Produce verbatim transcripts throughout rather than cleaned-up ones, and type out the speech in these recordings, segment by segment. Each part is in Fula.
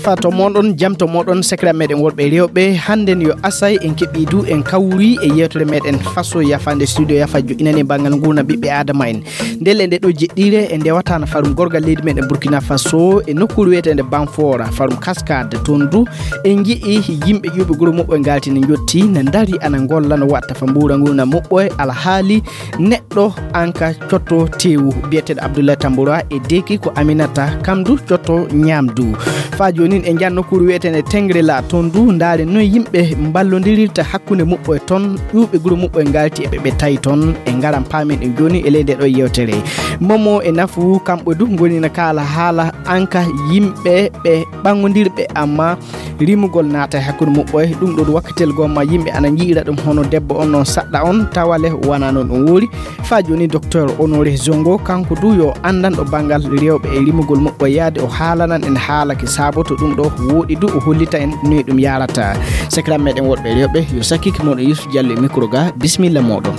Fa to moɗon, jam to moɗon, sekra meɗen worɓe rewɓe. Hannden yo asay en keɓi du en kawri e yewtere meɗen faso yafande studio yafa joɗinani e banngal ngurna ɓiɓɓe adama en. Ndelle nde ɗo jeɗɗire e ndewatana farum gorgal leydi meɗen Burkina Faso e nokkuure wiyeteende Banfora, farum Cascade. Toon du en nji'i yimɓe ƴuuɓe guro muɓɓo e ngalti ne njotti, ne ndari ana ngolla no watta fa mbuura ngurna muɓɓo e alhaali neɗɗo anka cotto teewu biyeteeɗo Abdoulaye Tamboura e deeki ko Aminata kam du cotto ñaamdu. Fa joonin e njan nokkuure wiyeteende Tengrela, toon du ndaare noy yimɓe mballondirirta hakkunde muɓɓo e toon, ƴuuɓe guro muɓɓo e ngalti e ɓe ɓe tawi toon. E ngaran paamen ɗum jooni e ley nde ɗo yewtere. Momo e nafu kamɓe du ngoni na kaala haala anka yimɓe ɓe ɓanngondirɓe amma rimugol naata e hakkunde muɓɓo e ɗum ɗo wakkatel gomma yimɓe ana nji'ira ɗum hono debbo on no saɗɗa on tawale wana noon ɗum woori. Fa joni docteur Honoré Zongo kanko du yo anndanɗo banngal rewɓe e rimugol muɓɓo yaade o haalanan en haala ki saaboto ɗum ɗo wooɗi du o hollita en noy ɗum yarata. Sekram meɗen woɗɓe rewɓe yo sakkiki moɗon Yusuf Diallo e micro ga, bisimilla moɗon.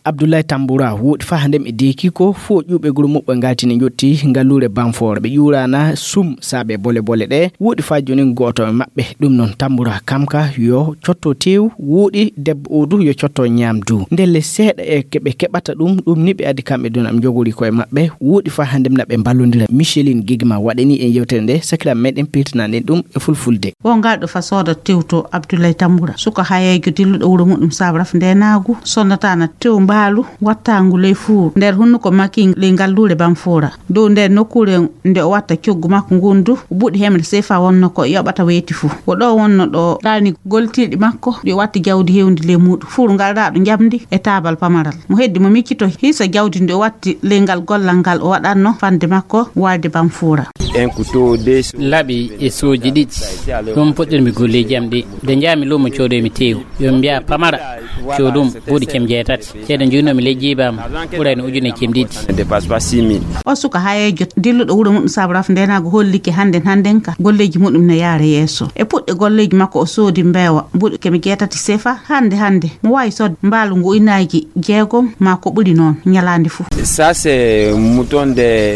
Abdoulaye Tamboura wooɗi fa hande mi deeki ko fo ƴuuɓe guro muɓɓe ngaltini jotti ngalluure Banfora ɓe ƴuurana sum saabe bole bole ɗe wooɗi fa joni gooto e maɓɓe ɗum noon Tamboura kam ka yo cotto tew wooɗi debbo o du yo cotto ñaamdu ndelle seeɗa e ke ɓe keɓata ɗum ɗum ni ɓe addi kamɓe dun am jogori koye maɓɓe wooɗi fa hande mi naɓe mballodira Micheline Gigma waɗani en yewtere nde sakira meɗen pirtanaɗen ɗum e fulfulde. Wo ngal ɗo fa sooda tew to Abdoulaye Tamboura suka hayeejo dilluɗo wuro muɗum sabraf ndenaagu sonnataana tew mbaalu wattaangu ley fuur nder hunnuko makin ley ngalluure Banfora dow nder nokkuure nde o watta coggu makko ngun du o buɗi hemre sefa wonno ko yoɓata weeti fuu wo ɗo wonno ɗo ɗaani goltirɗi makko ɗi o watti jawdi hewndi ley muuɗum fuur ngal raɗo njamndi e taabal pamaral mo heddi mo miccito hiisa jawdi ndi o watti ley ngal gollal ngal o waɗatno fande makko warde Banfora. Laɓi e sooji ɗiɗi ɗum puɗɗirmi golleeji am ɗi nde njaami luumo coodoymi teewu yo mi mbiya pamara coodum buuɗi cem jeetati ceede njuynoomi ley jiiba am ɓurayno ujune cem ɗiɗi. O suka hayeejo dilluɗo wuro muɗum sabraf ndenaago hollike hannden hannden ka golleeji muɗum ne yaara yeeso e puɗɗe golleeji makko o soodi mbeewa buuɗi keme jeetati sefa hannde hannde mo waawi soodde mbaalu ngu ujunnaaji jeegom maa ko ɓuri noon ñalaande fuu.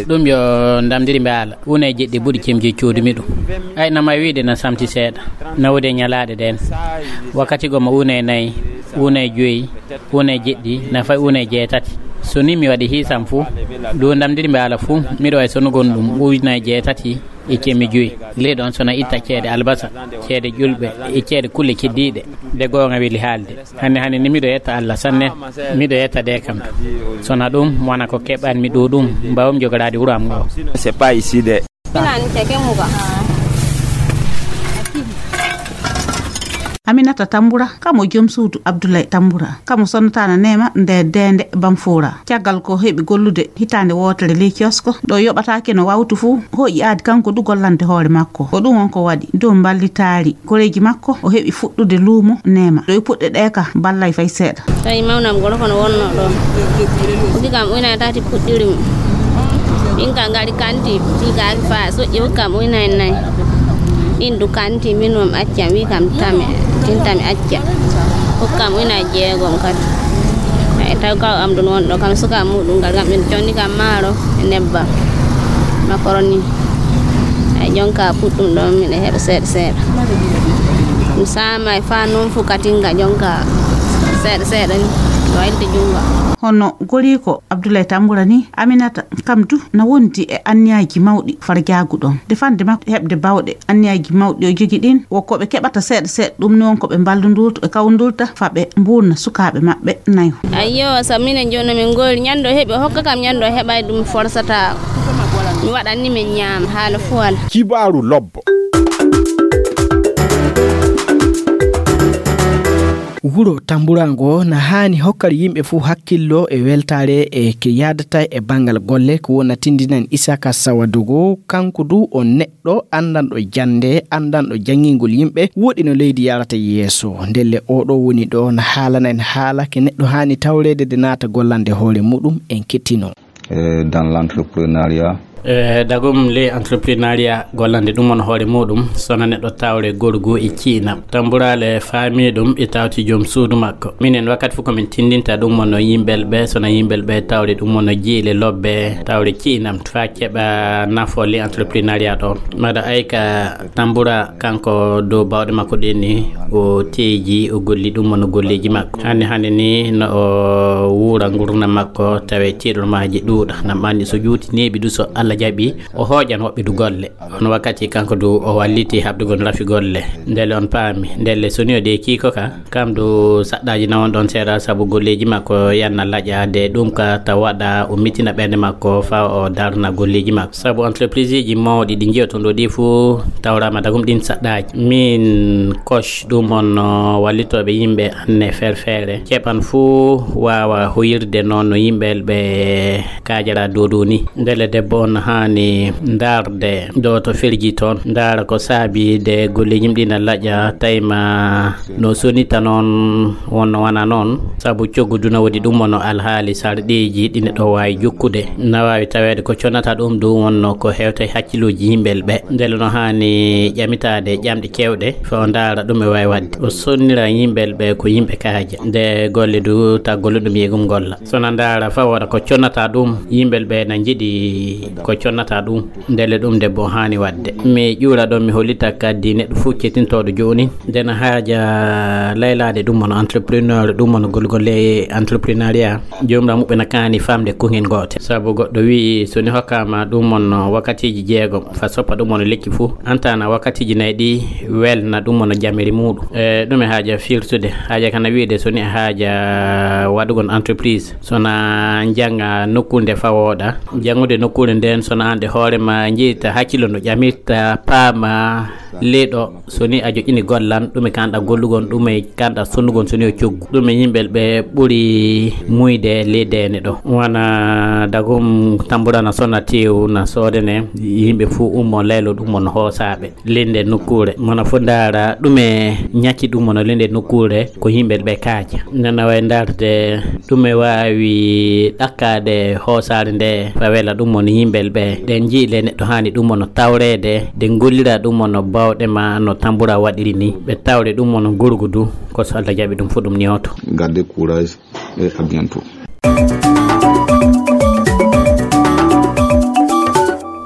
Ɗum yo ndamdiri mbaala uuna e jeɗɗi buuɗi cemji coodumi ɗum ay na may wiide na samti seeɗa na wodi e ñalaaɗe ɗeen wakkati goo mo uuna e nayi uuna e joyi uuna e jeɗɗi na fayi uuna e jeetati so ni mi waɗi hiisam fuu ɗum ndamdiri mbaala fuu miɗo wayi sonu gon ɗum uuna e jeetati e cemmi joyi ley ɗon sona itta ceede albasa ceede ƴulɓe e ceede kulle keddiiɗe nde goonga weli haalde hannde hannde ni miɗo yetta allah sanne miɗo yetta de kam sona ɗum wona ko keɓanmi ɗo ɗum mbawmi jogoraade wuro am ngo. C'est pas ici de. Aminata Tamboura kamo joom suudu Abdoulaye Tamboura kamo sonnataana neema nde deende Banfora caggal ko heɓi gollude hitaande wootere ley kiosko ɗo yoɓataake no wawtu fuu hoƴi aadi kanko du gollande hoore makko ko ɗum won ko waɗi dow mballitaari koreeji makko o heɓi fuɗɗude luumo neema ɗo e puɗɗe ɗe ka ballay fay seeɗa. Tawi mawnam goro kono wonno ɗo. Uji kam uyna e tati puɗɗiri mum. Min ka ngari kanti tigaki fa soƴƴi hokki kam uyna e nayi. Ɗin du kanti min mum acca wi kam tame tintami acca. Hokki kam uyna e jeegom kadi. Ay taw kaw am ɗum wonɗo kam suka muɗum ngal kam ɓen conni kam maaro e nebbam makoroni ay jonka puɗɗum ɗon miɗa heɓa seeɗa seeɗa mi sama e fa noon fu katinga jonka seeɗa seeɗa ni waylte junga. Hono goriiko Abdoulaye Tamboura ni Aminata kam du na wondi e anniyaaji mawɗi farjaagu ɗon defande makko heɓde bawɗe anniyaaji mawɗi o jogi ɗin wo ko ɓe keɓata seeɗa seeɗa ɗum noon ko ɓe mballundurta ɓe kawndurta fa ɓe mbuurna sukaaɓe maɓɓe nayo. Ayyo sabu minen jooni no min ngoyri ñande o heɓi o hokka kam ñande o heɓay ɗum forsata mi waɗanni min ñaama haala fuu alaa. Kibaaru lobbo. Wuro Tamburango na haani hokkar yimɓe fuu hakkillo e weltaare e ke yaadata e banngal golle ko wona tindinan Isaka Sawadogo kanko du o neɗɗo anndanɗo jannde anndanɗo janngingol yimɓe woɗi no leydi yarata yeeso ndelle oɗo woni ɗo na haalana en haala ke neɗɗo haani tawreede de naata gollande hoore muɗum en kettino. Dans l'entrepreneuriat E dagum le entreprenariat gollande ɗum on hoore muɗum, sona neɗɗo tawre gorgu e ciinam. Tamburaale faami ɗum e tawti joom suudu makko. Minen wakkati fof ko min tindinta ɗum on no yimɓel ɓe, sona yimɓel ɓe tawre ɗum on no jiile lobbe, tawre ciinam, fa keɓa nafo le entreprenariat ɗon. Mbaɗa ay ka Tambura kanko dow bawɗe makko ɗen ni, o teeji, o golli ɗum on no golleeji makko. Hannde hannde ni no o wuura ngurna makko, tawe tiiɗormaaji ɗuuɗa. Nam anndi so juuti neeɓi du so Allah jaɓi, o hooƴan woɓɓe du golle. On wakkati kanko du o walliti haɓdugol rafi golle. Ndelle on paami, ndelle so ni o de kiiko ka, kam du saɗɗaaji na on ɗon seeɗa sabu golleeji makko yanna laƴa de ɗum ka ta waɗa o mitina ɓernde makko fa o darna golleeji makko. Sabu entreprise ji mawɗi ɗi njiyoton ɗo ɗi fuu tawrama dagum ɗin saɗɗaaji. Min kosh ɗum on no wallitooɓe yimɓe anne ferfere. Keɓan fuu waawa hoyirde noon no yimɓe ɓe kaajara dow dow ni. Ndelle debbo on haani ndaarde ɗo to firji toon, ndaara ko saabi de golleeji mum ɗi na laƴa, tayma no sonita noon wonno wana noon, sabu coggu du na woodi ɗum wonno alhaali sarɗiiji ɗi neɗɗo waawi jokkude. Na waawi taweede ko connata ɗum du wonno ko hewta e hakkilooji yimɓe ɓe. Ndelle no haani ƴamitaade ƴamɗe keewɗe, fa o ndaara ɗum e waawi waɗde. O sonnira yimɓe ɓe ko yimɓe kaaja. Nde golle du ta golle ɗum yegum golla. Sona ndaara fa wooda ko connata ɗum, yimɓe ɓe na njiɗi ko connata ɗum. Ndelle ɗum debbo haani waɗde. Mi ƴuura ɗon, mi hollita kadi neɗɗo fof kettintooɗo jooni. Ndena haaja laylaade ɗum won entrepreneur, ɗum won golgolle entreprenariat. Joomira muɓɓe na kaani famde ko heen goote. Sabu goɗɗo wi'i, so ni hokkaama ɗum won wakkatiiji jeegom, fa soppa ɗum won lekki fof. Antana wakkatiiji nayi ɗi welna ɗum won jamiri muɗum. E, ɗum e haaja firtude. Haaja kana wi'de so ni e haaja waɗugol entreprise. Sona jannga nokkuure nde fawooɗa. Janngude nokkuure nden, sona an de hoore ma njeyta hakkilo no ƴamirta, paama, leeɗo, so ni a joƴƴini gollan, ɗume kanɗa gollugon, ɗume kanɗa sonnugon, so ni o coggu. Ɗume yimɓe ɓe ɓuri muyde ley deene ɗo. Wana dagum tamburana sona teewu na soodene, yimɓe fuu ummo laylo ɗum on hoosaaɓe. Linde nokkuure. Mona fof ndaara ɗume ñakki ɗum on linde nokkuure ko yimɓe ɓe kaaja. Nana way ndaarde ɗume waawi ɗakkaade hoosaare nde fa wela ɗum on yimɓe ɓe. Ɗen njiile neɗɗo haani ɗum on tawreede, de ngollira ɗum on bawɗe ma no tambura waɗiri ni. Ɓe tawre ɗum on gurgu du, ko so Allah jaɓi ɗum fof ɗum ñooto. Garde courage et à bientôt.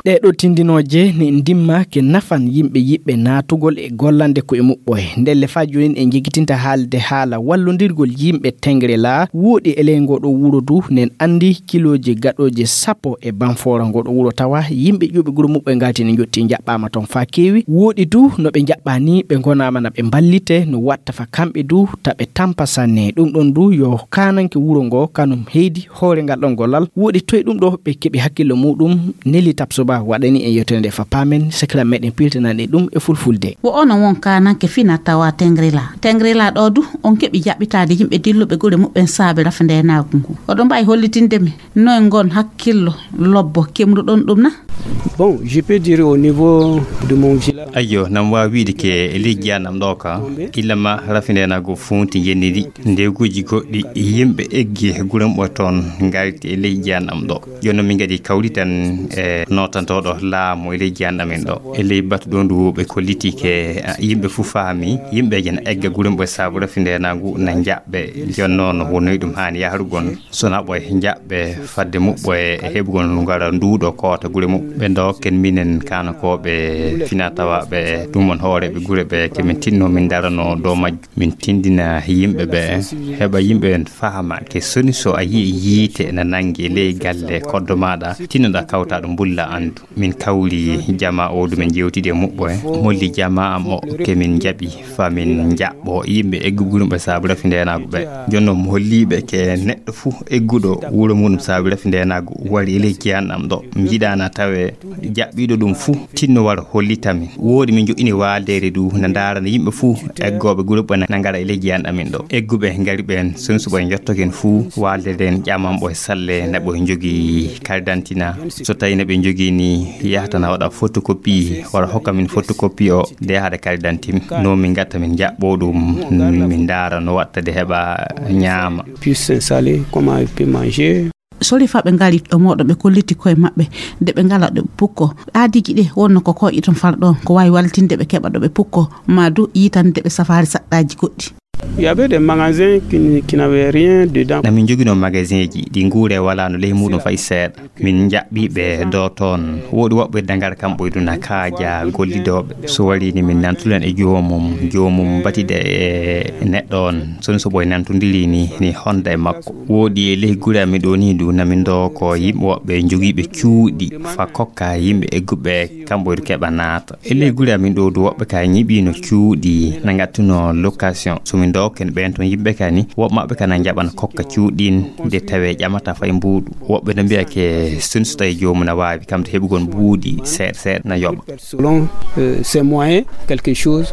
Ɗee ɗoo tindinooje ne ndimma ke nafan yimɓe yiɗɓe naatugol e gollande koye muɓɓoye. Ndelle faa joonin en njegitinta haalde haala wallondirgol yimɓe Tengrela wooɗi e ley ngoo ɗoo wuro du, nen anndi kilooji gaɗooji sappo e Banfoora ngoo ɗoo wuro, tawa yimɓe ƴuuɓe gure muɓɓoye ngalti ne njotti njaɓɓaama toon faa keewi. Wooɗi du no ɓe njaɓɓaa ni ɓe ngonaama na ɓe mballite no watta fa kamɓe du ta ɓe tampa sanne. Ɗum ɗon du yo kaananke wuro ngoo kanum heydi hoore ngal ɗon gollal. Wooɗi toye ɗum ɗo ɓe keɓi hakkillo muɗum? Neli Tapsoba waɗani en yewtere nde fa paamen, sekiral meɗen piltanan en ɗum e fulfulde. Wo ono won kaananke fina tawa Tengrila. Tengrila ɗo du on keɓi jaɓɓitaade yimɓe dilluɓe gure muɓɓen saabe rafa ndenaagu ngu. Oɗon mbaawi hollitinde mi noye ngon hakkillo lobbo kemruɗon ɗum na? Bon, je peux dire au niveau de mon village. Ayyo, nam waawi wiide ke e leydi jiyannam ɗo ka, illa ma rafi ndenaagu funti yenndi ndi. Ndeeguuji goɗɗi, yimɓe eggi gure muɓɓe toon ngarti e leydi jiyannam ɗo. Jooni noon min ngadi kawritan e nootantooɗo laamu e leydi jiyannam en ɗo. E ley batu ɗo ndu ɓe kolliti ke, a, yimɓe fof faami, yimɓe ena egga gure muɓɓe saabu rafi ndenaagu na njaɓɓe. Jooni noon wonnoyi ɗum haani yahrugol. Sona ɓoye njaɓɓe fadde muɓɓoye e heɓugol ngara nduuɗo koota gure muɓɓe. Ɓe ndokken minen kaanakooɓe fina tawaaɓe ɗum on hooreeɓe gure ɓe, ke min tinno min darano dow majjum. Min tindina yimɓe ɓe, heɓa yimɓe ɓen fahama ke soni so a yii yiite na nangi ley galle koddo maaɗa, tinnoɗa kawta ɗum mbulla anndu. Min kawri jamaa o du min jewtidi e muɓɓo e molli jamaa am o ke min jaɓi fa min jaɓɓo yimɓe eggugol ɓe saabu rafi ndenaagu ɓe. Jooni noon mi holliiɓe ke neɗɗo fuu egguɗo wuro muɗum saabu rafi ndenaagu wari e ley jiyannam ɗo. Mi yiɗaana tawe jaɓɓiiɗo ɗum fuu tinno wara hollita min. Woodi min joƴƴini waaldeere du na ndaarana yimɓe fuu eggooɓe gure ɓe na ngara e ley jiyannam min ɗo. Egguɓe ngari ɓeen soni so ɓe njottoken fuu waaldeere nden ƴaman ɓo e salle na ɓe njogii karidantina. So tawi na ɓe njogii ni yahata na waɗa photocopie wara hokka min photocopie o de haɗa karidantim. No min gatta min jaɓɓo ɗum min ndaara no watta de heɓa ñaama. Puis s'installer, comment il peut manger. Sori fa ɓe ngari ɗo mooɗon, ɓe kolliti koye maɓɓe nde ɓe ngala ɗo ɓe pukko. Aadiiji ɗe wonno ko koƴe ton fala ɗon, ko waawi wallitinde ɓe keɓa ɗo ɓe pukko, maa du yiitande ɓe safaari saɗɗaaji goɗɗi. Il y avait des magasins qui, qui n'avaient rien dedans. Na min njoginoo magasinji ɗi nguure walaano ley muuɗum fay seeɗa. Min njaɓɓi ɓe ɗo toon. Woodi woɓɓe dagara kamɓe e duna kaaja gollidooɓe. So warii ni min nantulen e joomum, joomum batida e neɗɗo on. Soni so ɓoy nantondiri ni, ni honda e makko. Woodi e ley gure amin ɗo ni du na min ɗo ko yimɓe woɓɓe jogiiɓe cuuɗi fa kokka yimɓe egguɓe kamɓe du keɓa naata. E ley gure amin ɗo du woɓɓe ka nyiɓino cuuɗi na ngattuno location. So min dokken ɓen ton yimɓe ka ni, woɓɓe maɓɓe ka na njaɓana kokka cuuɗin de tawe ƴamata fay mbuuɗu. Woɓɓe no mbiya ke soni so tawi joomum na waawi kam to heɓugol mbuuɗi seeɗa seeɗa na yoɓa. Selon, euh, ses moyens, quelque chose.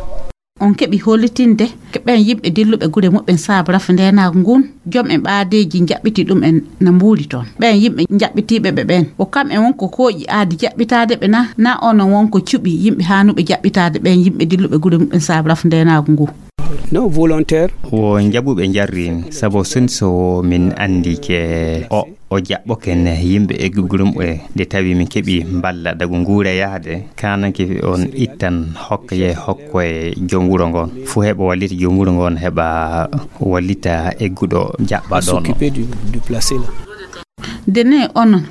On keɓi hollitinde ke ɓen yimɓe dilluɓe gure muɓɓen saabu rafu ndeenaagu ngun, jom en ɓaadeeji njaɓɓiti ɗum en na mbuuri toon. Ɓen yimɓe njaɓɓitiiɓe ɓe ɓen, ko kam en won ko kooƴi aadi jaɓɓitaade ɓe na, na onon won ko cuɓi yimɓe haanuɓe jaɓɓitaade ɓen yimɓe dilluɓe gure muɓɓen saabu rafu ndeenaagu ngu? Non volontaire. Wo njaɓuɓe njarrin, sabu soni so min anndi ke o, o jaɓɓoke ne yimɓe egguɓe gure muɓɓe, nde tawi min keɓi mballa dagu nguure yahde, kananke on ittan hokka ye hokko e joom wuro ngon. Fuu heɓa wallita joom wuro ngon, heɓa wallita egguɗo jaɓɓa ɗon. S'occuper du, du placé là. Dene onon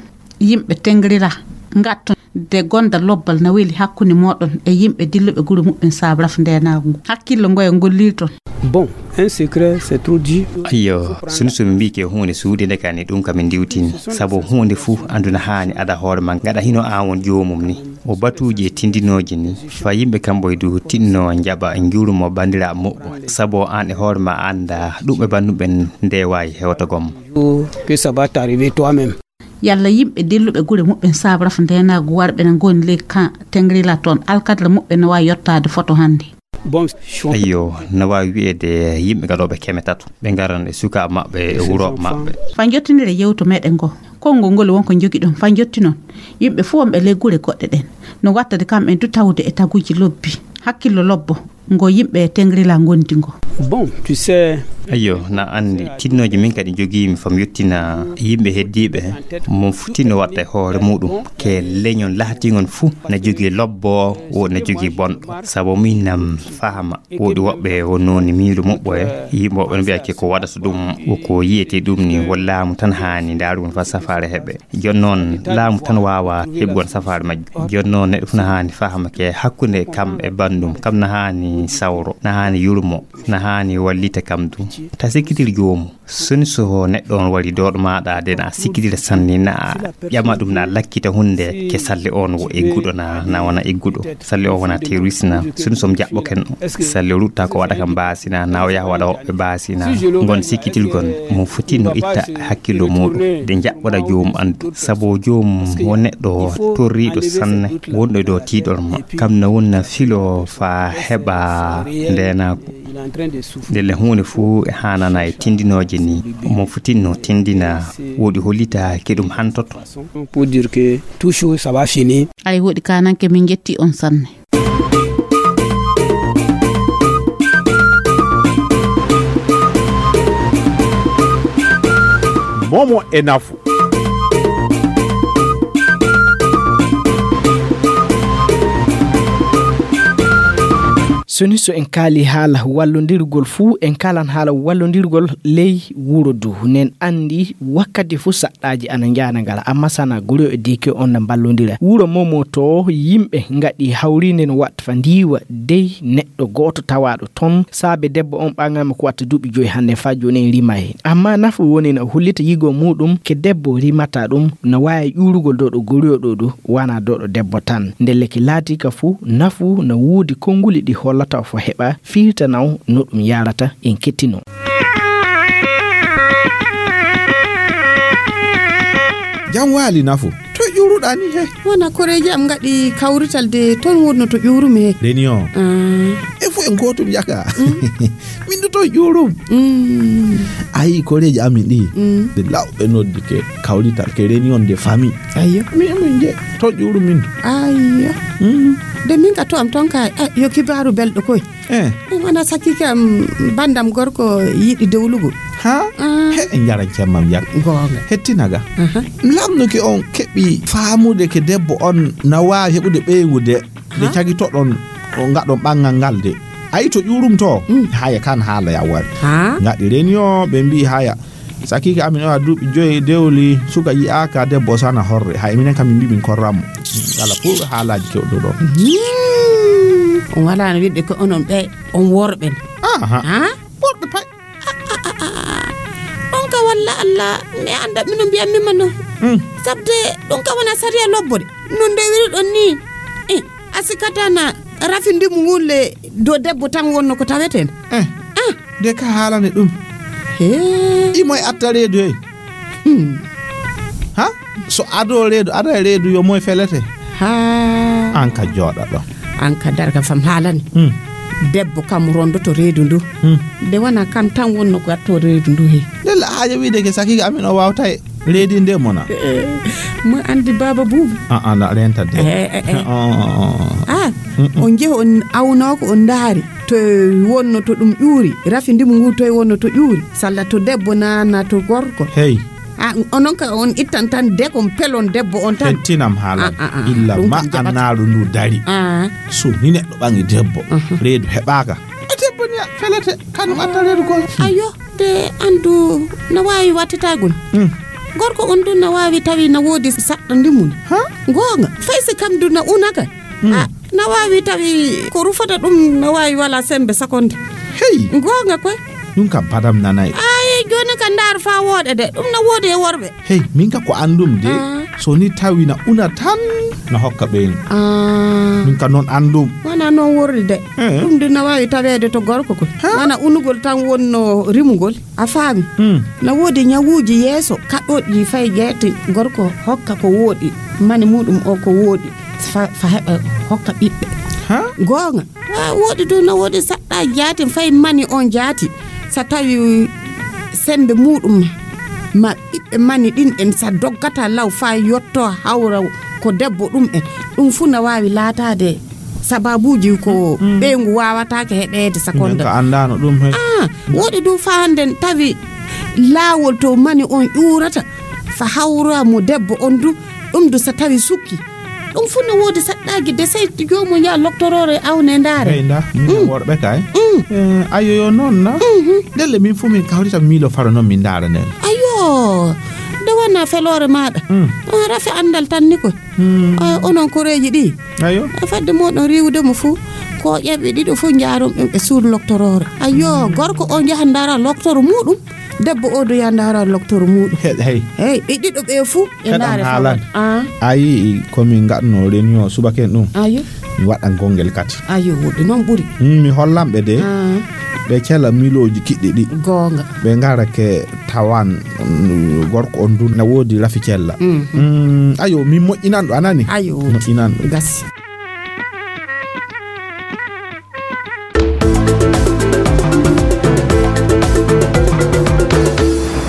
yimɓe tengrira ngatton de gonda lobbal na weli hakkunde moɗon e yimɓe dilluɓe gure muɓɓen saabu rafu ndeenaagu ngu. Hakkillo ngoya ngollirton. Bon, un secret, c'est trop dit. Ayyo, sunu sunu mbi ke huunde suuɗinde ka ni ɗum ka min ndiwtini. Sabu huunde fuu andu na haani ada hoore ma ngaɗa hino aan won joomum ni. O batuuji e tindinooji ni. Fa yimɓe kamɓe du tinno njaɓa njurumo bandira muɓɓo. Sabu aan e hoore ma anda ɗum e banduɓen nde waawi hewta gom. Que ça va t'arriver toi-même. Yalla yimɓe dilluɓe gure muɓɓen saabu rafu ndeenaagu warɓe na ngoni ley kan tengrila toon alkadra muɓɓen no waawi yottaade foto hannde? Bon, ayyo, no waawi wiyeede yimɓe gaɗooɓe keme tato, ɓe ngaran e sukaaɓe maɓɓe e wurooɓe maɓɓe. Fa njottinire yewto meɗen ngo, konngol ngol won ko njogiɗon fa njottinon yimɓe fof wonɓe ley gure goɗɗe ɗen, no wattade kamɓe du tawde e taguuji lobbi, hakkillo lobbo. Ngo yimɓe tengrila ngondi ngo. Bon, tu sais. Ayyo, na andi tinnooji min kadi jogiimi fam yettina yimɓe heddiiɓe mo futino watta e hoore muɗum ke leñol lahatingol fuu na jogii lobbo o na jogii bonɗo. Sabu min nam fahama woodi woɓɓe wonnoo ni miiru muɓɓo e yimɓe woɓɓe no mbiya ke ko waɗata ɗum, ko yiyete ɗum ni wallaamu tan haani ndaarugol fa safaare heɓe. Jooni noon laamu tan waawa heɓugol safaare majjum. Jooni noon neɗɗo fof na haani fahama ke hakkunde kam e banndum, kam na haani sawro, na haani yurmo, na haani wallita kam dum. Ta sikkitir joomum. Soni so neɗɗo on wari dooɗo maaɗa de na sikkitira sanne na ƴama ɗum na lakkita hunde ke salle on wo egguɗo na, na wona egguɗo. Salle o wona terroriste na. Soni so jaɓɓo ken o. Salle o rutta ko waɗa kam baasina na o yaha waɗa woɓɓe baasina. Ngon sikkitilgon mo foti no itta hakkillo muɗum de jaɓɓoɗa joomum andu. Sabu joomum wo neɗɗo torriiɗo sanne wonɗo e dow tiiɗol ma. Kam na wonna filo fa heɓa ndeenaaku. Ndelle huunde fuu e haanana e tindinooje ni. Mo foti no tindina woɗi hollita ke ɗum hantoto. Pour dire que tout chose ça va finir. Ay woɗi kananke min jetti on sanne. Momo e nafu. Soni so en kaali haala wallondirgol fuu, en kaalan haala wallondirgol ley wuro du. Nen anndi wakkati fuu saɗɗaaji ana njaana ngala, amma sana guri e deke on na mballondira. Wuro Momo to yimɓe ngaɗi hawriinde no watta fa ndiiwa dey neɗɗo gooto tawaaɗo ton. Saabe debbo on ɓaŋaama ko watta duuɓi joyi hannde faa jooni en rima heen. Amma nafu woni no hollita yigo muuɗum ke debbo rimata ɗum no waawi ƴuurugol dow ɗo goriyo ɗo du, wana dow ɗo debbo tan. Ndelle ki laati ka fuu, nafu no woodi konnguli ɗi hollata fo heɓa firtanaw no ɗum yarata en kettino. Jam waali nafu. To ƴuuruɗaa ni he? Wona koreeji am ngaɗi kawrital de, toon wonno to ƴuurumi he. Reni o. Ah. E fof en gootum yaka. Mm. Min du to ƴuurum. Mm. Ayi, koreeji amin ɗi, mm, ɗe lawɓe noddi ke kawrital, ke réunion de famille. Ayyo. Mi, min je, to ƴuuru min. Ayyo. Mm. De min ka to am ton ka, eh, yo kibaaru belɗo koy. Eh. Ɗum wona sakki kam, banndam gorko yiɗi dewlugol. Ha? Ah. He, en njaran cemmam yak. Goonga. Hettinaga. Aha. Lamnuki on keɓi faamude ke debbo on na waawi heɓude ɓeyngu de. Nde, ha? Cagitoɗon, o ngaɗon ɓanngal ngal de. Ayi to ƴuurum to, mm, haya kan haala ya wari. Ha? Ngaɗi réunion, ɓe mbi'i haya. Sakiike amin o a duuɓi joyi dewli, suka yi'aaka, debbo sana horre. Hay minen kam min mbi'i min korran mo. Ngala pour haalaaji kewɗo ɗo. Hmm. On walaa no wiɗde ko onon ɓe, on worɓe. Aha. Ha? Worɓe pay. Ɗum ka walla Allah, mi annda mino mbiyan mi mano. Hmm. Sabde ɗum ka wona sariya lobbo de. No ndewiri ɗon ni. Eh, a sikata na rafi ndimu ngun le do debbo tan wonno ko taweten. Eh. Ah. De ka haalani ɗum. He. Imo e atta reedu he. Hmm. Ha? So ado reedu, ada e reedu yo moy felete. Ha. An ka jooɗa ɗo. An ka darga fam haalani. Hmm. Debbo kam rondoto reedu ndu. Hmm. De wana kan tan wonno ko atto reedu ndu he. Ndella haaja wiide ke sakiga amin o wawta e reedi nde mona. Eh, mo andi baba bubu. Ah, ah, na renta de. Eh, eh, eh. Oh, oh, oh. Ah, mm, mm, on jeehi on awnoo ko on ndaari. To wonno to ɗum ƴuuri, rafi ndimu ngu to wonno to ƴuuri. Salla to debbo na, na to gorko. Hey. Ah, onon ka on ittan tan dekon pelon debbo on tan. Hettinam haalal. Ah, ah, ah. Illa ɗum ma kam jaɓata. Annaaru ndu dari. Ah. So ni neɗɗo ɓangi debbo, aha, reedu heɓaaka. E debbo ni felete, kanum atta reedu gol. Ayo, de andu na waawi wattetagol. Hmm. Gorko on ɗum na waawi tawi na woodi saɗɗa ndimu. Ha? Goonga. Fay si kam du na unaka. Hmm. Ah, na waawi tawi ko rufata ɗum na waawi wala sembe sakonde. Hey. Goonga koy. Ɗum kam padam nanay. Ay, jooni ka ndaar fa wooɗe de. Ɗum na woodi e worɓe. Hey, min ka ko andum de. Ah. So ni tawi na una tan na hokka ɓeen. Ah. Min ka noon andum. Wana noon worri de. Eh. Ɗum de na waawi taweede to gorko koy. Ha? Wana unugol tan wonno rimugol. A faami? Hmm. Na woodi ñawuuji yeeso kaɗɗooɗi fay jeete gorko hokka ko wooɗi, mani muɗum o ko wooɗi, fa, fa heɓa hokka ɓiɓɓe. Ha? Goonga. Ha, woodi du na woodi saɗɗa jaati fay mani on jaati. Sa tawi sembe muɗum ma ɓiɓɓe mani ɗin en sa doggata law fa yotto hawra ko debbo ɗum en. Ɗum fu na waawi laataade sababuuji ko, mm, ɓeyngu waawataake heɓeede sakonda. Minen ka anndaano ɗum hay. Ah, woɗi ɗum fa hannde tawi laawol to mani on ƴuurata fa hawra mo debbo on du, ɗum du sa tawi sukki. Ɗum fu no woodi saɗɗaaji de sey joomum yaa loktoroore awne ndaare. Hey, nda, minen, mm, worɓe kay. Mm. Eh, ayo yo noon na. Mhm. Ndelle min fu min kawrita miilo faro noon min ndaara nen. Ayo, nde wona feloore maaɗa. Mm. Ah, rafi anndal tan ni ko. Hmm. Ah, onon koreeji ɗi. Ayo. Ah, fadde moɗon riiwude mo fuu, ko ƴeɓɓe ɗiɗo fuu njaaron ɗum e suudu loktoroore. Ayo, gorko o yaha ndaara loktoro muɗum, debbo o do yaha ndaara loktoro muɗum. He-, hey. Hey, ɓe ɗiɗo ɓe fuu ɓe ndaare haalan. Ah. Ayi, ko min ngaɗno réunion subaka en ɗum. Ayo. Mi waɗan gongel kadi. Ayo, woɗɗi noon ɓuri. Hmm, mi hollan ɓe de. Ah. Ɓe cela milooji kiɗɗi ɗi. Goonga. Ɓe ngara ke tawan, mm, gorko on du na woodi rafi cella. Mhm. Mm, ayo, min moƴƴinan ɗo, a nani? Ayo, moƴƴinan ɗo. Gasi.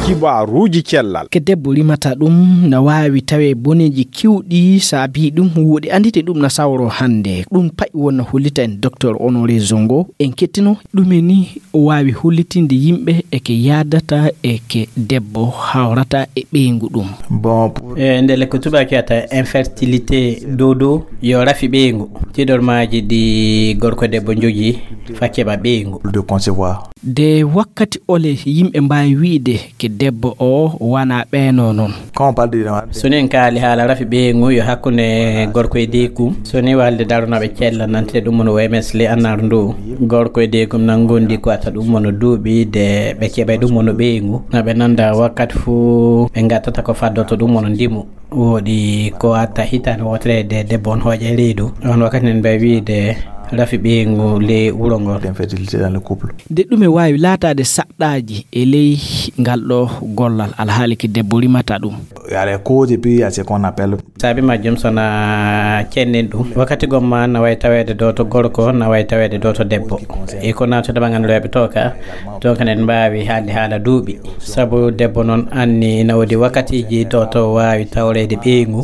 Kibaruuji cellal. Ke debbo rimata ɗum na waawi tawe boneeji kiwɗi saabi ɗum. Woɗi andite ɗum na sawro hannde. Ɗum pa'i wonna hollita en Docteur Honoré Zongo. En kettino ɗume ni o waawi hollitinde yimɓe e ke yaadata e ke debbo hawrata e ɓeyngu ɗum. Bon, pour- e ndelle ko tubaaki wiyata infertilité dodo yo rafi ɓeyngu. Tiɗormaaji ɗi gorko e debbo njogii fa keɓa ɓeyngu. De concevoir. De wakkati ole yimɓe mbaawi wi'de ke debbo o wana ɓeeno noon. Quand on parle de... So nen kaali haala rafi ɓeyngu yo hakkunde gorko e deekum. So ni walde daronooɓe cella nante ɗum mono O M S le annar ndu. Gorko e deekum nan gondi ko ata ɗum mono duuɓi de ɓe keɓa ɗum mono ɓeyngu. Na ɓe nanda wakkati fu ɓe ngattata ko faddoto ɗum mono ndimu. Woɗi ko atta hitaande wootere de debbo on hooƴa e reedu. On wakkati nen mbay wiide rafi ɓeyngu ley wuro ngoo. L'infertilité dans le couple. Nde ɗum e waawi laataade saɗɗaaji e ley ngal ɗo gollal, alhaali ki debbo rimata ɗum. Il y a les causes et puis il y a ce qu'on appelle. Sabi majjum, so na cennen ɗum, wakkati gomma na wayi taweede ɗo to gorko, na wayi taweede ɗo to debbo. E ko naatude ɓangan rewɓe to ka, to kan en mbaawi haalde haala duuɓi. Sabu debbo noon anni na woodi wakkatiiji ɗo to waawi tawreede ɓeyngu.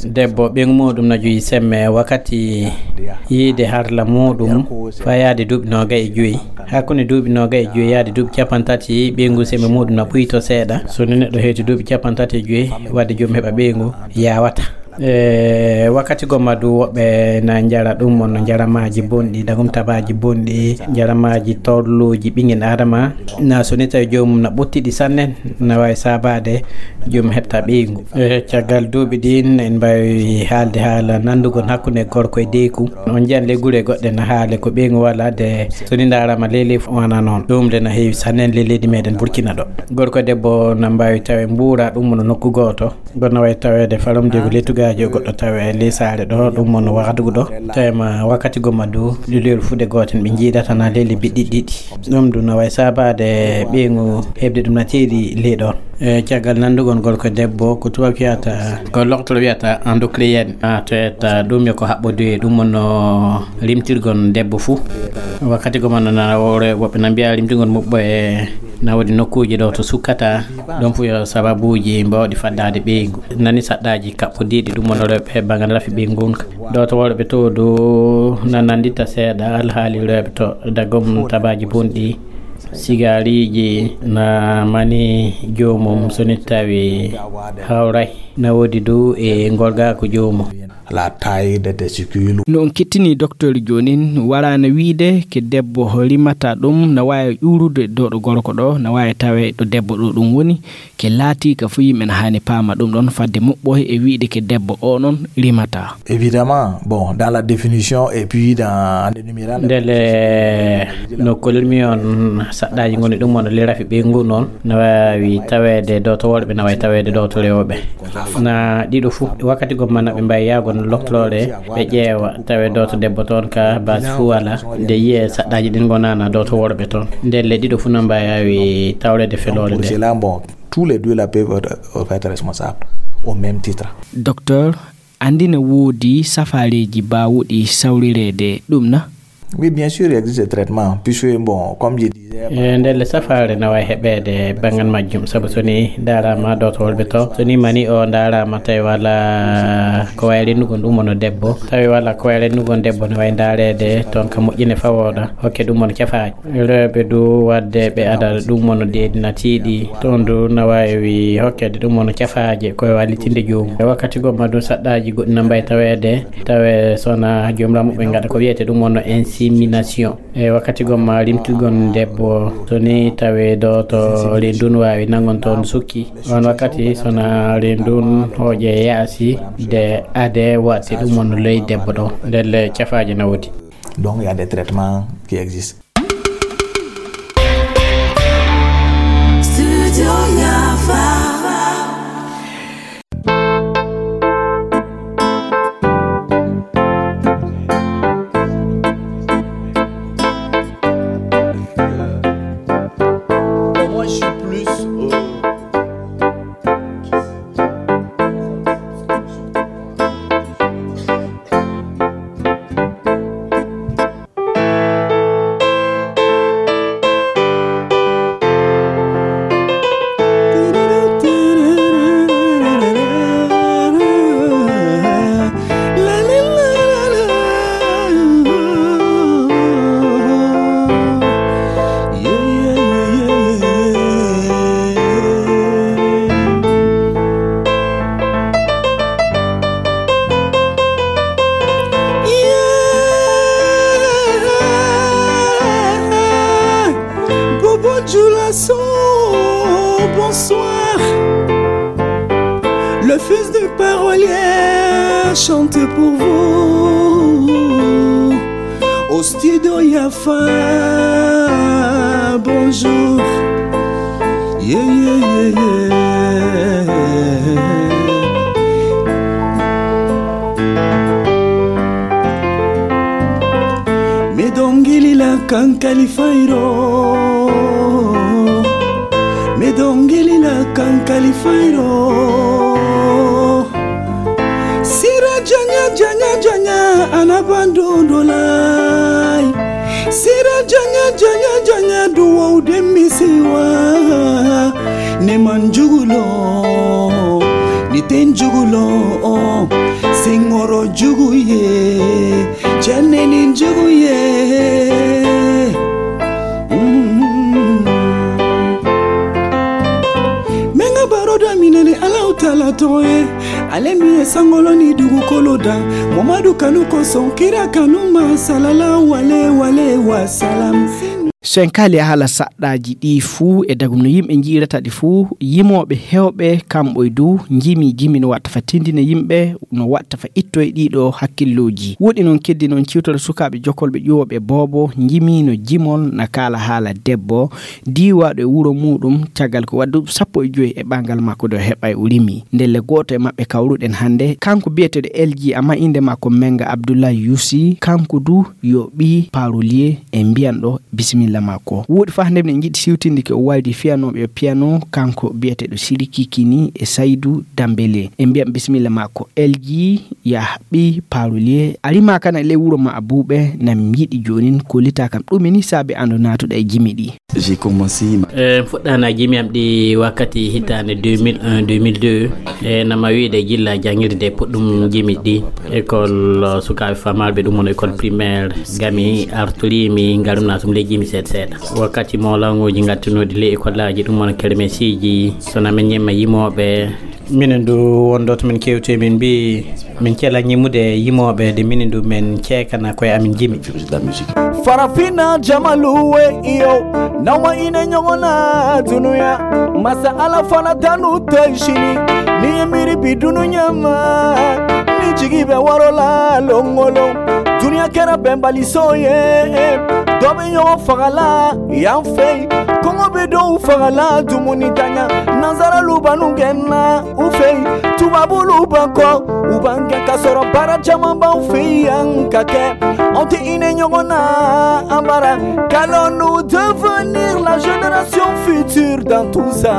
Debbo ɓeyngu muɗum na jogi semme wakkati yiide harla muɗum, fayaade duuɓi noogay e joyi. Hakkunde duuɓi noogay e joyi yaade duuɓi capanɗe tati, ɓeyngu semme muɗum na ɓuyto seeɗa. So ni neɗɗo heeti duuɓi capanɗe tati e joyi, wadde joom heɓa ɓeyngu, yawata. E wakkati gomma du, woɓɓe na njara ɗum won no njaramaaji bonɗi, dagum tabaaji bonɗi, njaramaaji torluuji ɓingel Adama. Na so ni tawi joomum na ɓuttiɗi sanne, na waawi saabaade joom heɓta ɓeyngu. E caggal duuɓi ɗin, en mbaawi haalde haala nanndugol hakkunde gorko e deyku. On njiyan ley gure goɗɗe na haale ko ɓeyngu wala de, so ni ndaarama ley ley fu wana noon. Ɗum de na heewi sanne ley leydi meɗen Burkina ɗo. Gorko e debbo na mbaawi tawe mbuura ɗum no nokku gooto. Goɗɗo na wayi taweede falomde ko lettugaaji, o goɗɗo tawe ley saare ɗo, ɗum won wahdugu ɗo. Tawema wakkati gomma du, lilol fuɗe gooten ɓe njiidata na ley lebbi ɗiɗi ɗiɗi. Ɗum du na wayi saabaade ɓeyngu heɓde ɗum na teeri ley ɗon. E caggal nanndugol gorko e debbo, ko tubaab wiyata, ko loktoro wiyata endocrine. A toyata ɗum yo ko haɓɓoduye, ɗum won no rimtirgol debbo fuu. Wakkati gomma na wore woɓɓe na mbiya rimtirgol muɓɓo e na woodi nokkuuji ɗo to sukkata, ɗon fu yo sababuuji mbawɗi faddaade ɓeyngu. Nani saɗɗaaji kaɓɓodiiɗi ɗum won rewɓe banngal rafi ɓeyngu ngun ka. Ɗo to worɓe to du na nanndita seeɗa alhaali rewɓe to dagom tabaaji bonɗi, sigaariiji na mani joomum so ni tawi hawray. Na woodi du e ngorgaaku joomum. La taille des testicules. No on kettini docteur joonin, waraana wiide ke debbo rimata ɗum, na waawi ƴuurude ɗo ɗo gorko ɗo, na waawi tawe ɗo debbo ɗo ɗum woni, ke laati ka fu yimɓe na haani paama ɗum ɗon fadde muɓɓoy e wiide ke debbo o noon rimata. Évidemment, bon, dans la définition et puis dans, en énumérant les... Ndele no kolirmi on saɗɗaaji ngoni ɗum won le rafi ɓeyngu noon, na waawi taweede ɗo to worɓe, na waawi taweede ɗo to rewɓe. Na ɗiɗo fuu, wakkati gomma na ɓe mbaawi yahgo no loktoroore, ɓe ƴeewa, tawe ɗo to debbo toon ka baasi fuu wala, nde yiye saɗɗaaji ɗin ngonana ɗo to worɓe toon. Ndelle ɗiɗo fuu na mbaawi tawreede feloore nde. Pour cela, bon, tous les deux là peuvent être, euh, être responsables au même titre. Docteur, anndi na woodi safaareeji baawuɗi sawrireede ɗum na? Oui, bien sûr, il existe des traitements, puisque, bon, comme je disais... E ndelle safaare na waawi heɓeede banngal majjum, sabu so ni ndaaraama ɗo to worɓe to, so ni mani o ndaaraama tawi wala ko wayi rennugol ɗum won debbo, tawi wala ko wayi rennugol debbo, no wayi ndaareede toon ka moƴƴine fawooɗa, hokke ɗum won cafaaji. Rewɓe du wadde ɓe ada ɗum won deedi na tiiɗi, toon du na waawi hokkeede ɗum won cafaaje ko e wallitinde joomum. E wakkati gomma du saɗɗaaji goɗɗi na mbaawi taweede, tawe so na joomiraɓe muɓɓen ngaɗa ko wiyete ɗum won insémination. E wakkati gomma rimtugol debbo, so ni tawe ɗo to reendu waawi nanngol toon sukki. On wakkati so na reendu hooƴe yaasi de ade waɗte ɗum won ley debbo ɗo. Ndelle cafaaje na woodi. Donc, il y a des traitements qui existent. Studio Yafa. Moi, je suis plus, euh, Bobo Djoulasso, bonsoir. Le fils du parolier chante pour vous. Au studio Yafa, bonjour. Yeah, yeah, yeah, yeah. Kankali Fayro, me dongeli la Kankali Fayro. Sira janya, janya, janya, anabando dolai. Sira janya, janya, janya, duwa udemisiwa. Ne manjugulo, ni tenjugulo, singoro juguye. Cɛnni ni jugu ye. Mm. Menga baro da minene Allahu Taala tɔgɔ ye. Ale min ye sankolo ni dugukolo da. Mamadu kanu kosɔn kira kanu ma salala wale wale wa salam. So en kaali haala saɗɗaaji ɗi fuu e dagum no yimɓe njiirata ɗi fuu, yimooɓe heewɓe kamɓe du njimi jimi no watta fa tindina yimɓe, no watta fa ittoye ɗiɗo hakkillooji. Woɗi noon keddi noon ciwtoro sukaaɓe jokolɓe ƴuwooɓe boobo njimiino jimol na kaala haala debbo diiwaaɗo e wuro muuɗum caggal ko waddu sappo e joy e ɓangal makko do heɓay o rimi. Ndelle gooto e maɓɓe kawruɗen hannde, kanko biyeteeɗo L G amma innde makko Menga Abdoulaye Youssi, kanko du yo ɓii Parolier e mbiyan ɗo bisimilla makko. Woɗi fa hannde minen njiɗi siwtinde ko o waydi fiyanooɓe e piyano, kanko biyeteeɗo Siriki Kini e Saydu Dambele. E mbiyan bisimilla makko L G ya ɓii Parolier. A rima kana ley wuro ma a buuɓe, na mi yiɗi joonin kollita kam ɗum ni saabe ando naatuɗa e jimi ɗi. J'ai commencé ma- Eh, fuɗɗaana jimi am ɗi wakkati hitaande deux mille un, deux mille deux. E nama wiide jilla jangirde puɗɗum jimi ɗi. École, uh, sukaaɓe famalɓe ɗum woni école primaire. Gami artorimi ngarumna tum ley jimi seeɗa seeɗa. Wakkati mo languji ngattunoɗi ley école aji ɗum woni kermesiji. So na min ñemma yimooɓe. Minen du won ɗo to min kewti, min mbi min cela ñimude yimooɓe de minin du min ceekana koye amin jimi. Farafina jamalu we iyo, nawa ine ñogona dunuya. Masa ala fana tanu toy shini, ni miri bi dunuya ma. Ni jigi be warola longolo, dunuya kera bembali soye. Dobe ñogo fagala yan fey, kongo be do fagala dumuni tanya. Nazara lubanu genna u fey, tubabu luba ko u bange ka sɔrɔ baara caman b'anw fɛ yan ka kɛ. Anw tɛ hinɛ ɲɔgɔn na, an bara. Qu'allons-nous devenir la génération future dans tout ça?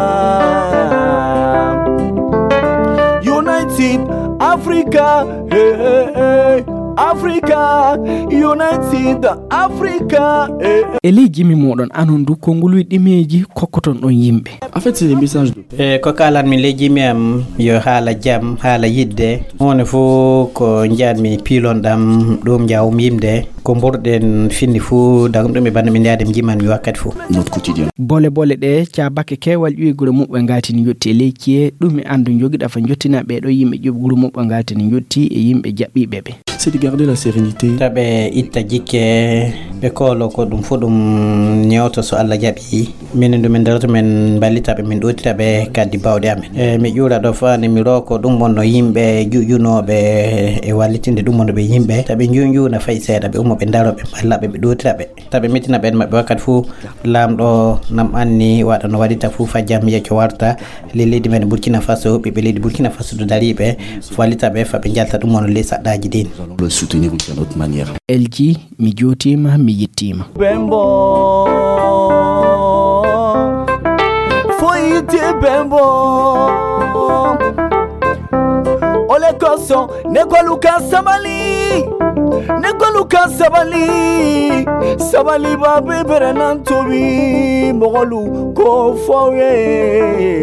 United Africa, hey, hey, hey. Africa, United Africa, hey, hey. E ley jimi moɗon anon du ko nguluy ɗimeji kokkoton ɗon yimɓe. En fait, c'est des messages de E ko kalan min ley jimi am yo haala jam, haala yidde. Huunde fof ko njanmi pilon ɗam ɗum njawum yimde. Ko mburɗen finni fof dagum ɗum e banndu min yaade mi jiman mi wakkati fof. Notre quotidien. Bole bole ɗe caabake keewal ƴuwi gure muɓɓe ngaati ni yotti e ley ciye ɗum e anndu jogiɗa fa jottina ɓeeɗo yimɓe ƴuwi gure muɓɓe ngaati ni yotti e yimɓe jaɓɓiiɓe ɓe. C'est de garder la sérénité. Taɓe itta jikke ɓe koolo ko ɗum fof ɗum ñewto so Allah jaɓi. Minen du min darata min mballita ɓe min ɗootira ɓe kaddi bawɗe amen. E mi ƴuura ɗo fani mi roko ɗum wonno yimɓe juƴunooɓe e wallitinde ɗum wonno ɓe yimɓe taɓe njuñjuuna fay seeɗa ɓe ummo ɓe ndaro ɓe mballa ɓe ɓe ɗootira ɓe. Taɓe mettina ɓen maɓɓe wakkati fof laamɗo nam anni waɗa no waɗita fof fa jam yecco warta. Ley leydi men Burkina Faso ɓiɓɓe leydi Burkina Faso to dariɓe wallita ɓe fa ɓe njalta ɗum wonno ley saɗɗaji din. Nous allons le soutenir aussi à notre manière. L G, mi jootiima, mi yettiima. Bembo, foyite bembo. Ole koso, ne koluka sabali, ne koluka sabali, sabali ba bebere nan tobi, mogolu ko foye.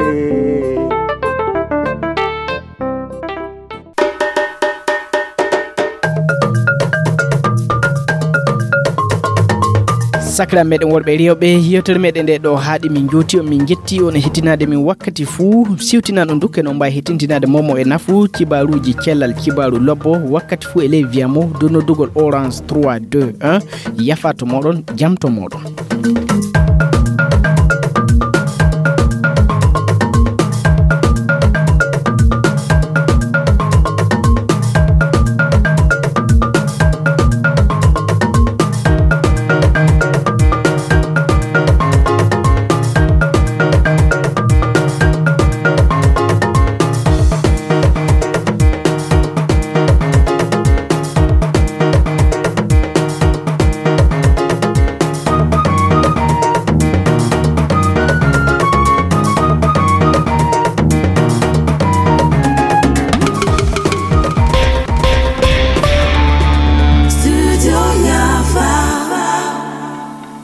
Sakira meɗen worɓe rewɓe, yewtere meɗen nde ɗo haaɗi min jooti on, min jetti on e hettinaade min wakkati fuu. Siwtinan on dukke no mbawi hettintinaade momo e nafu, cibaruuji cellal, cibaru lobbo, wakkati fuu e ley viyamo dow noddugol Orange trois deux un. Yafa to moɗon, jam to moɗon.